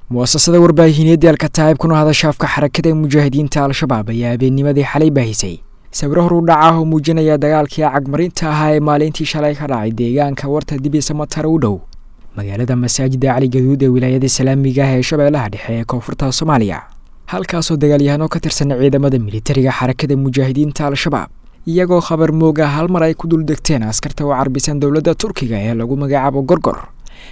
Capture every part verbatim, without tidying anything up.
Muasasada warbaahineedda Alkataa'ib kuna hadasha afka xarakada mujaahidiinta Al-Shabaab ayaa habeennimadii xalay baahisay sawiro horu dhaca ah oo muujinaya dagaalkii cagmarinta ahaa ee maalintii shalay ka dhacay deegaanka Warta Dibi Samatar u dhow magaalada Masaajida Cali Gaduud ee wilaayada islaamiga ah ee Shabeellaha Dhexe ee koonfurta Soomaaliya, halkaasoo dagaalyahano ka tirsan ciidamada militariga xarakada mujaahidiinta Al-Shabaab iyagoo khabar mooga hal mar ay ku dul degteen askarta u carbisan dowladda Turkiga ee lagu magacaabo Gorgor,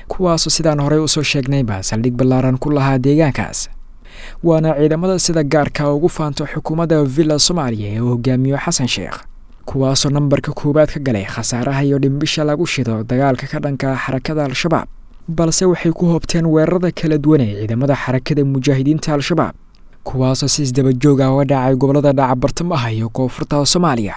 kuwaasoo sidaan horey usoo sheegnayba saldhig ballaaran ku lahaa deegaankaas. Waana ciidamada sida gaarka ugu faanto xukuumadda Villa Soomaaliya ee uu hogaamiyo Xasan Sheekh, kuwaasoo nambarka koowaad ka galay khasaaraha iyo dhimbisha lagu shido dagaalka ka dhanka xarakada Al-Shabaab, balse waxay ku hoobteen weerarada kala duwan ee ciidamada xarakada mujaahidiinta Al-Shabaab, kuwaasoo si isdaba joog ah uga dhacay gobollada dhaca bartamaha iyo koonfurta Soomaaliya.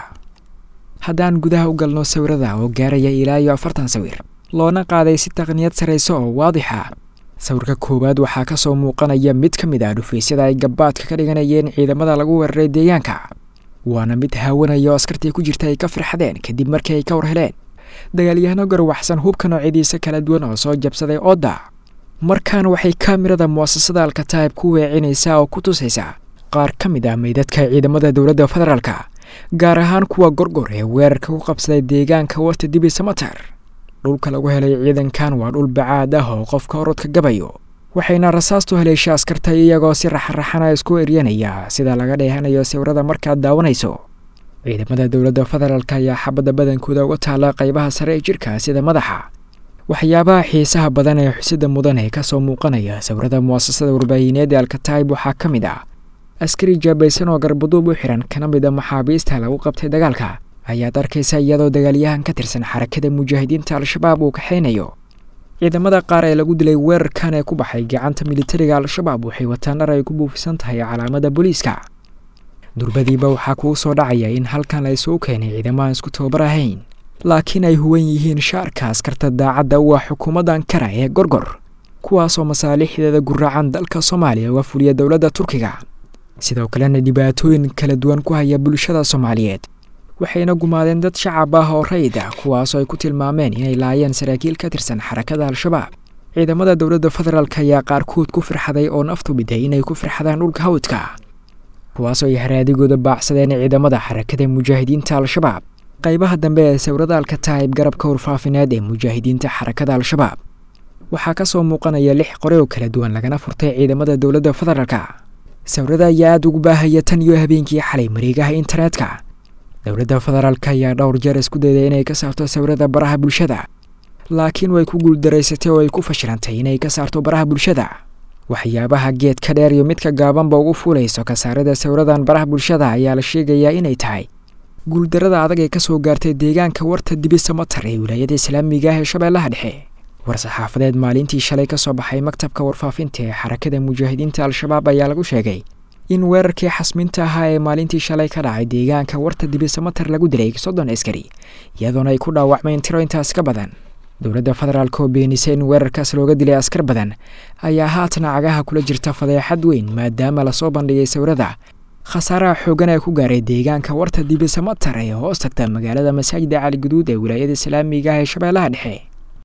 Haddaan gudaha u galno sawirada oo gaaraya ilaa iyo afartan sawir loona qaaday si taqniyad sarreysa oo waadix ah, sawirka koowaad waxaa kasoo muuqanaya mid ka mid ah dhufaysyada ay gabaadka ka dhiganayeen ciidamada lagu weeraray deegaanka, waana mid haawanaya oo askartii ku jirta ay ka firxadeen kadib markii ay ka war heleen dagaalyahano garwaxsan hubka noocyadiisa kala duwan oo soo jabsaday oodda. Markaan waxay kaamirada muasasada Alkataa'ib ku weecinaysaa oo ku tusaysaa qaar ka mid ah meydadka ciidamada dowladda federaalka, gaar ahaan kuwa Gorgor ee weerarka ku qabsaday deegaanka Warta Dibi Samatar. Dhulka lagu helay ciidankan waa dhul bacaad ah oo qofka orodka gabayo, waxayna rasaastu haleesha askarta iyagoo si raxraxana isku eryanaya sida laga dheehanayo sawirada markaad daawanayso. Ciidamada dowladda federaalka ayaa xabadda badankooda uga taala qaybaha sare ee jirka sida madaxa. Waxyaabaha xiisaha badan ee xusida mudan ee kasoo muuqanaya sawirada muasasada warbaahineed ee Alkataa'ib waxaa ka mid ah askari jaabaysan oo garbaduub u xiran kana mid a maxaabiista lagu qabtay dagaalka ayaad arkaysa iyadoo dagaalyahan ka tirsan xarakada mujaahidiinta Al-Shabaab uu kaxaynayo. Ciidamada qaar ee lagu dilay weerarkan ee ku baxay gacanta militariga Al-Shabaab waxay wataan dhar ay ku buufisan tahay calaamada booliiska. Durbadiiba waxaa kuu soo dhacaya in halkan la isugu keenay ciidamahan isku tababar ahayn, laakiin ay huwan yihiin shaarka askarta daacadda u ah xukuumadda Ankara ee Gorgor, kuwaasoo masaalixdeeda guraacan dalka Soomaaliya uga fuliya dowladda Turkiga, sidoo kalena dhibaatooyin kala duwan ku haya bulshada Soomaaliyeed. Waxayna gumaadeen dad shacab ah oo rayid ah, kuwaasoo ay ku tilmaameen inay laayeen saraakiil ka tirsan xarakada Al-Shabaab. Ciidamada dowladda federaalka ayaa qaarkood ku firxaday oo naftu biday inay ku firxadaan dhulka hawdka, kuwaasoo ay haraadigooda baacsadeen ciidamada xarakada mujaahidiinta Al-Shabaab. Qaybaha dambe ee sawirada Alkataa'ib garabka warfaafineed ee mujaahidiinta xarakada Al-Shabaab waxaa kasoo muuqanaya lix qore oo kala duwan lagana furtay ciidamada dowladda federaalka. Sawirada ayaa aada ugu baahaya tan iyo habeenkii xalay mareegaha internetka. Dowladda federaalka ayaa dhowr jeer isku dayday inay ka saarto sawirada baraha bulshada, laakiin way ku guuldaraysatay oo ay ku fashilantay inay ka saarto baraha bulshada. Waxyaabaha geedka dheer iyo midka gaabanba ugu fuulayso ka saarida sawiradan baraha bulshada ayaa la sheegayaa inay tahay guuldarada adag ee kasoo gaartay deegaanka Warta Dibi Samatar ee wilaayada islaamiga ah ee Shabeellaha Dhexe. War-saxaafadeed maalintii shalay kasoo baxay maktabka warfaafinta ee xarakada mujaahidiinta Al-Shabaab ayaa lagu sheegay in weerarkii xasminta ahaa ee maalintii shalay ka dhacay deegaanka Warta Dibi Samatar lagu dilay soddon askari, iyadoona ay ku dhaawacmeen tiro intaas ka badan. Dowladda federaalka oo beenisay in weerarkaas looga dilay askar badan ayaa haatan cagaha kula jirta fadeexad weyn, maadaama lasoo bandhigay sawirada khasaaraha xoogan ee ku gaaray deegaanka Warta Dibi Samatar ee hoos tagta magaalada Masaajida Cali Guduud ee wilaayada islaamiga ah ee Shabeellaha Dhexe.